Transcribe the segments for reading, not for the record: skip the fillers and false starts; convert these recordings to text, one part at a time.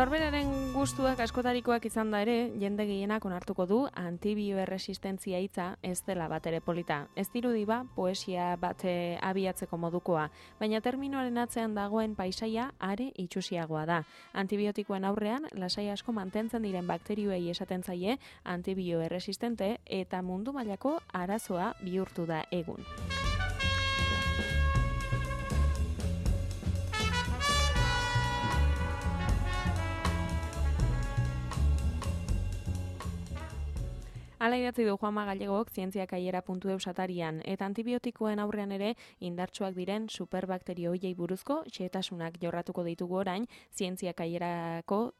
Norberaren gustuak askotarikoak izan da ere, jende gehienak onartuko du antibioerresistentzia hitza ez dela batere polita. Ez dirudi ba, poesia bat abiatzeko modukoa, baina terminoaren atzean dagoen paisaia are itxusiagoa da. Antibiotikoen aurrean, lasai asko mantentzen diren bakterioei esaten zaie antibioerresistente eta mundu mailako arazoa bihurtu da egun. Hala idatzi du Juanma Gallegok zientziakaiera.eus atarian, eta antibiotikoen aurrean ere indartsuak diren superbakterio hoiei buruzko xehetasunak jorratuko ditugu orain zientziakaierako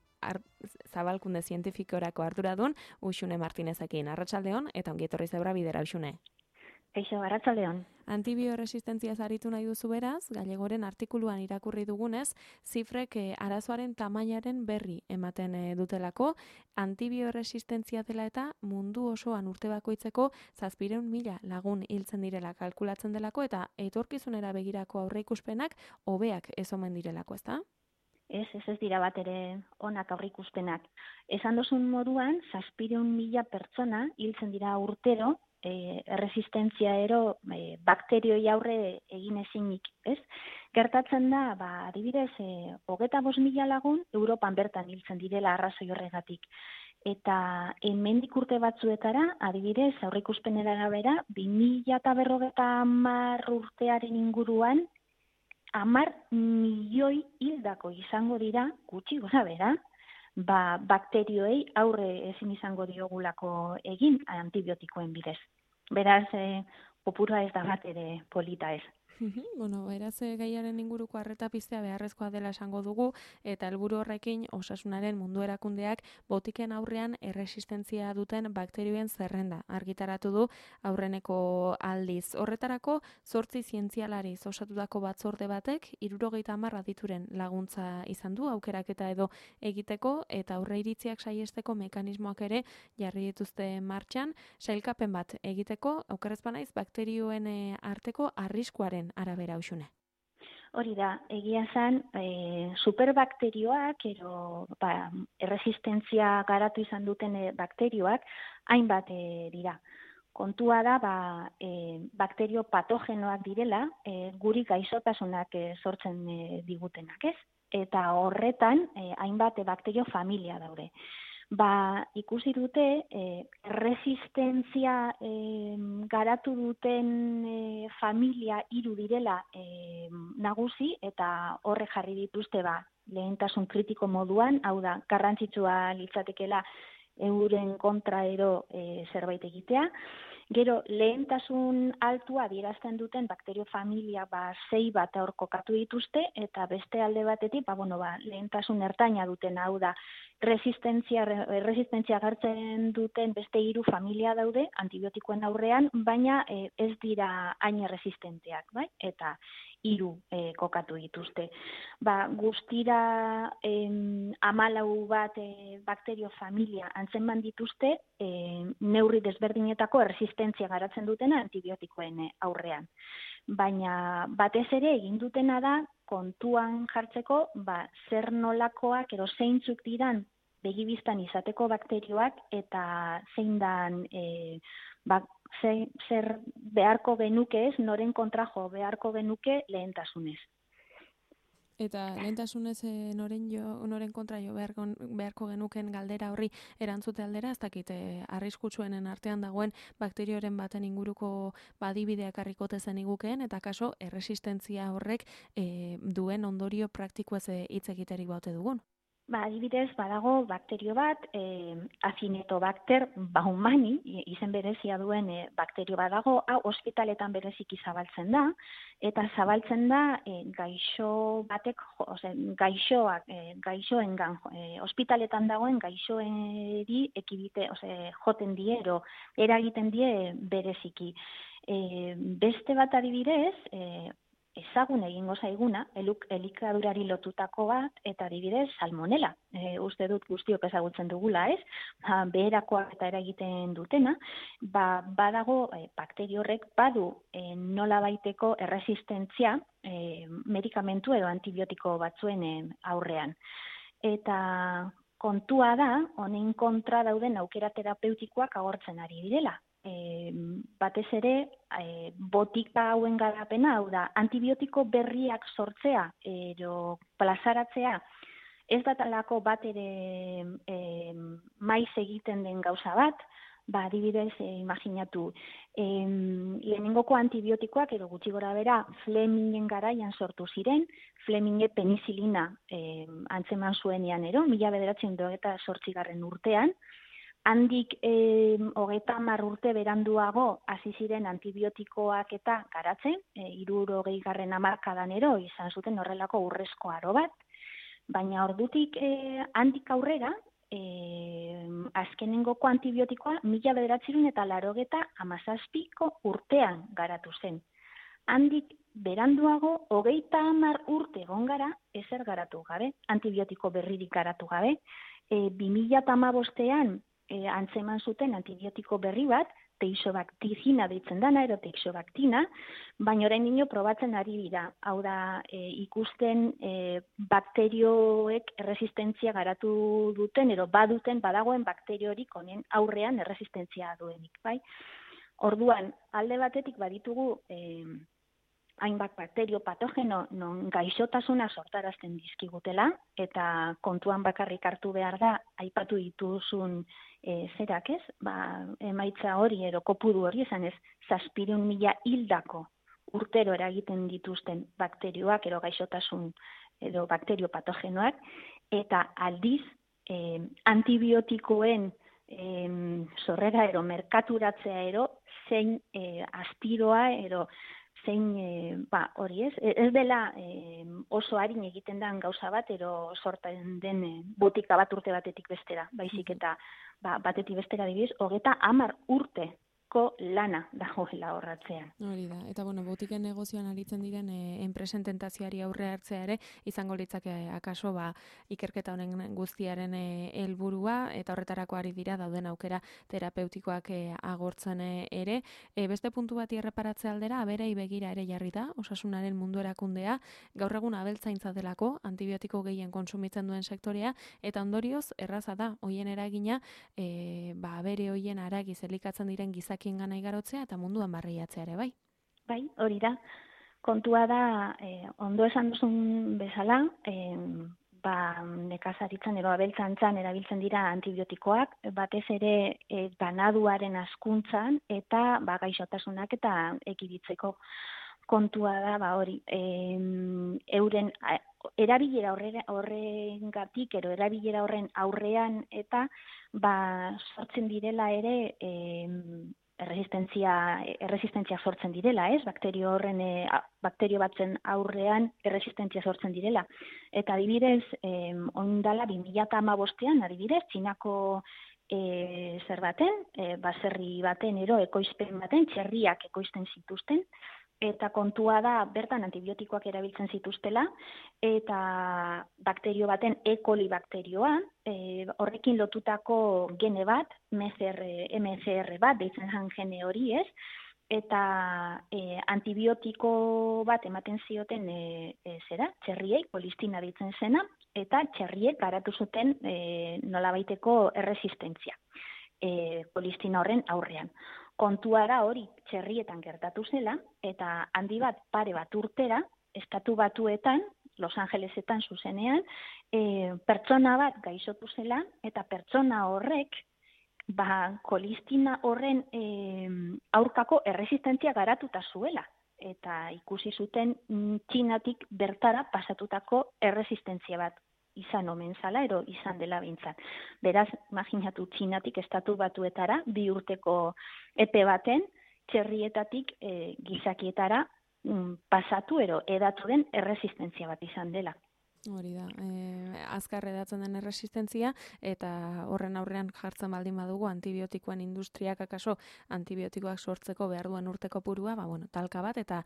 zabalkunde zientifikorako arduradun Uxune Martinezekin. Arratsaldeon eta ongi etorri zebra bidera Uxune. Kaixo, arratsaldeon. Antibioerresistentziaz aritu nahi duzu beraz, Gallegoren artikuluan irakurri dugunez, zifrek arazoaren tamainaren berri ematen dutelako, antibioerresistentzia dela eta mundu osoan urte bakoitzeko 700.000 lagun hiltzen direla kalkulatzen delako eta etorkizunera begirako aurreikuspenak hobeak ez omen direlako, ezta? Ez dira bat ere onak aurreikuspenak. Esan dozun moduan, 700.000 pertsona hiltzen dira urtero, erresistentzia bakterioi aurre egin ezinik, ez? Gertatzen da, adibidez, 25.000 lagun Europan bertan hiltzen direla arrazoi horregatik. Eta hemendik urte batzuetara, adibidez, aurreikuspenera arabera, 2050 urtearen inguruan 10 milioi hildako izango dira, gutxi gora bera, bakterioei aurre ezin izango diogulako egin antibiotikoen bidez. Beraz, kopurua ez da bat ere polita ez. Bueno, beraz gaiaren inguruko arreta piztea beharrezkoa dela esango dugu eta helburu horrekin Osasunaren Mundu Erakundeak botiken aurrean erresistentzia duten bakterioen zerrenda argitaratu du aurreneko aldiz. Horretarako 8 zientzialariz osatutako batzorde batek 70 adituren laguntza izan du aukeraketa edo egiteko eta aurreiritziak saihesteko mekanismoak ere jarri dituzte martxan, sailkapen bat egiteko aukeraz banaiz bakterioen arteko arriskuaren arabera Uxune. Hori da, egia zen, superbakterioak, erresistentzia garatu izan duten bakterioak, hainbat dira. Kontua da, bakterio patogenoak direla, guri gaixotasunak sortzen digutenak, ez? Eta horretan, hainbat bakterio familia daude. Ikusi dute, resistentzia garatu duten familia 3 direla nagusi eta horre jarri dituzte lehentasun kritiko moduan, hau da, garrantzitsua litzatekeela euren kontra zerbait egitea. Gero, lehentasun altua adierazten duten bakterio familia 6 bat hor kokatu dituzte eta beste alde batetik, lehentasun ertaina duten, hau da, erresistentzia agertzen duten beste 3 familia daude antibiotikoen aurrean, baina ez dira hain erresistenteak, bai? Eta 3 kokatu dituzte. Guztira 14 bat bakterio familia antzeman dituzte neurri desberdinetako erresistentzia garatzen dutena antibiotikoen aurrean. Baina batez ere egin dutena da kontuan jartzeko zer nolakoak edo zeintzuk diran begibistan izateko bakterioak eta zein dan zer beharko genuke ez, noren kontra jo beharko genuke lehentasunez. Eta lehentasunez noren kontra jo beharko genuken galdera horri erantzute aldera, ez dakit arriskutsuenen artean dagoen bakterioren baten inguruko badibideak harrikote zen igukeen, eta kaso erresistentzia horrek duen ondorio praktikoez hitz egiterik baute dugun. Adibidez, badago bakterio bat, Acinetobacter baumani, izen berezia duen bakterio badago, hau ospitaletan bereziki zabaltzen da, eta zabaltzen da gaixo batek, gaixoengan, ospitaletan dagoen gaixoeri ekibite, joten die, eragiten die bereziki. Beste bat adibidez, ezagun egingo zaiguna, elikadurari lotutako bat, eta adibidez salmonela. Uste dut guztiok ezagutzen dugula, ez? Beherakoak eta eragiten dutena, badago bakterio horrek badu nolabaiteko erresistentzia medikamentu edo antibiotiko batzuen aurrean. eta kontua da, honen kontra dauden aukera terapeutikoak agortzen ari direla. Batez ere, botika hauen garapena, hau da, antibiotiko berriak sortzea, plazaratzea, ez datalako bat ere maiz egiten den gauza bat, adibidez, imaginatu, lehenengoko antibiotikoak, edo gutxi gora bera, Flemingen garaian sortu ziren, Fleminge penizilina antzeman zuenean, 1928 urtean, handik 30 urte beranduago hasi ziren antibiotikoak eta garatzen, 60. hamarkadan izan zuten horrelako urrezko aro bat, baina ordutik handik aurrera, azkenengoko antibiotikoa 1987 urtean garatu zen. Handik beranduago 30 urte egon gara ezer garatu gabe, antibiotiko berririk garatu gabe. 2015ean antzeman zuten antibiotiko berri bat, teixobactina deitzen dana, teixobactina, baina orain probatzen ari dira. Hau da, ikusten bakterioek erresistentzia garatu duten, badagoen bakteriorik honen aurrean erresistentzia duenik, bai? Orduan, alde batetik baditugu hainbat bakterio patogeno non gaixotasuna sortarazten dizkigutela, eta kontuan bakarrik hartu behar da, aipatu dituzun zerak ez, emaitza hori kopuru hori esan ez, 700.000 hildako urtero eragiten dituzten bakterioak gaixotasun edo bakterio patogenoak, eta aldiz antibiotikoen sorrera merkaturatzea zein astiroa zein, hori ez dela oso arin egiten den gauza bat, sortzen den botika bat urte batetik bestera, baizik eta batetik bestera adibidez, 30 urteko lana dagoela horratzean. Hori da, eta botiken negozioan aritzen diren enpresen tentazioari aurre hartzea ere, izango litzake akaso ikerketa honen guztiaren helburua, eta horretarako ari dira dauden aukera terapeutikoak agortzen ere. Beste puntu bati erreparatzea aldera, aberei begira ere jarri da, osasunaren mundu erakundea, gaur egun abeltzaintza delako, antibiotiko gehien kontsumitzen duen sektorea, eta ondorioz, erraza da, hoien eragina, abere hoien aragiz elikatzen diren gizakien gana igarotzea, eta munduan barriatzea ere, bai? Bai, hori da. Kontua da, ondo esan duzun bezala, nekazaritzan abeltzantzan erabiltzen dira antibiotikoak, batez ere ganaduaren hazkuntzan eta gaixotasunak eta ekiditzeko. Kontua da, hori, euren erabilera horrengatik, erabilera horren aurrean eta sortzen direla ere erresistentzia sortzen direla, ez? Bakterio batzen aurrean erresistentzia sortzen direla. Eta adibidez, ondala 2015ean, adibidez, Txinako baserri baten, ekoizpen baten, txerriak ekoizten zituzten, eta kontua da, bertan antibiotikoak erabiltzen zituztela, eta bakterio baten, E. coli bakterioa, horrekin lotutako gene bat, MCR bat, deitzen zen gene hori ez, eta antibiotiko bat ematen zioten txerriei, kolistina deitzen zena, eta txerriek garatu zuten nolabaiteko erresistentzia, kolistina horren aurrean. Kontua da hori txerrietan gertatu zela, eta handi bat pare bat urtera, Estatu Batuetan, Los Angelesetan zuzenean, pertsona bat gaixotu zela, eta pertsona horrek, kolistina horren aurkako erresistentzia garatuta zuela. Eta ikusi zuten Txinatik bertara pasatutako erresistentzia bat izan omen zala, izan dela bintzat. Beraz, imaginatu Txinatik Estatu Batuetara, 2 urteko epe baten, txerrietatik gizakietara pasatu edatu den erresistentzia bat izan dela. Hori da, azkar edatzen den erresistentzia, eta horren aurrean jartzen baldin badugu antibiotikoen industriak akaso antibiotikoak sortzeko behar duen urteko purua, talka bat eta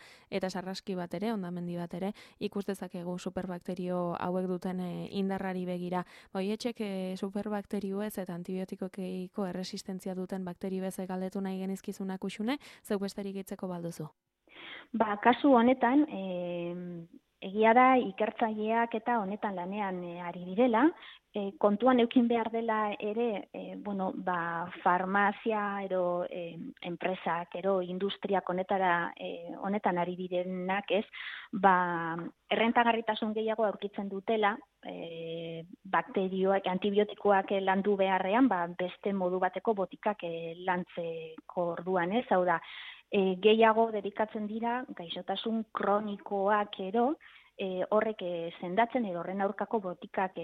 sarraski bat ere, hondamendi bat ere, ikus dezakegu superbakterio hauek duten indarrari begira. Hoietxek superbakterioez eta antibiotikokeiko erresistentzia duten bakterio ez galdetu nahi genizkizunak usune, zeu besterik itzeko balduzu? Kasu honetan, Egia da, ikertzaileak eta honetan lanean ari direla, kontuan eukin behar dela ere, farmazia ero enpresak, ero industriak honetan ari direnak ez, errentagarritasun gehiago aurkitzen dutela, bakterioak, antibiotikoak landu beharrean, beste modu bateko botikak lantzeko orduan ez, hau da, gehiago dedikatzen dira gaixotasun kronikoak ero, horrek sendatzen edo horren aurkako botikak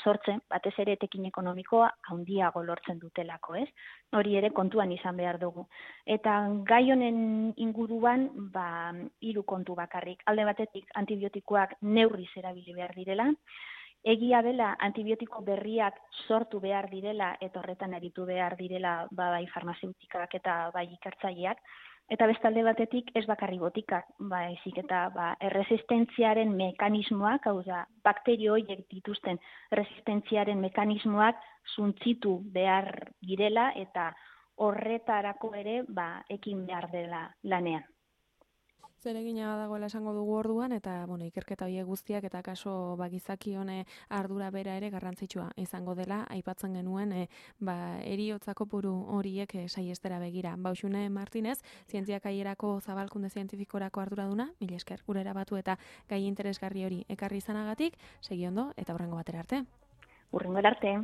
sortzen, batez ere etekin ekonomikoa handiago lortzen dutelako, ez? Hori ere kontuan izan behar dugu. Eta gai honen inguruan, 3 kontu bakarrik. Alde batetik antibiotikoak neurriz erabili behar direla, egia dela antibiotiko berriak sortu behar direla eta horretan aritu behar direla bai farmazeutikak eta bai ikertzaileak, eta bestalde batetik ez bakarri botikak, baizik eta erresistentziaren mekanismoak, hau da, bakterio horiek dituzten resistentziaren mekanismoak suntzitu behar direla eta horretarako ere ekin behar dela lanean. Zeregina dagoela esango dugu orduan, eta ikerketa horiek guztiak eta kaso gizaki hone ardura bera ere garrantzitsua izango dela, aipatzen genuen eriotza kopuru horiek saiestera begira. Baxune Martinez, Zientziak Kaierako Zabalkunde Zientifikorako arduraduna, mila esker gure erabatu eta gai interesgarri hori ekarri izanagatik, segi ondo eta hurrengo batera arte. Hurrengo arte,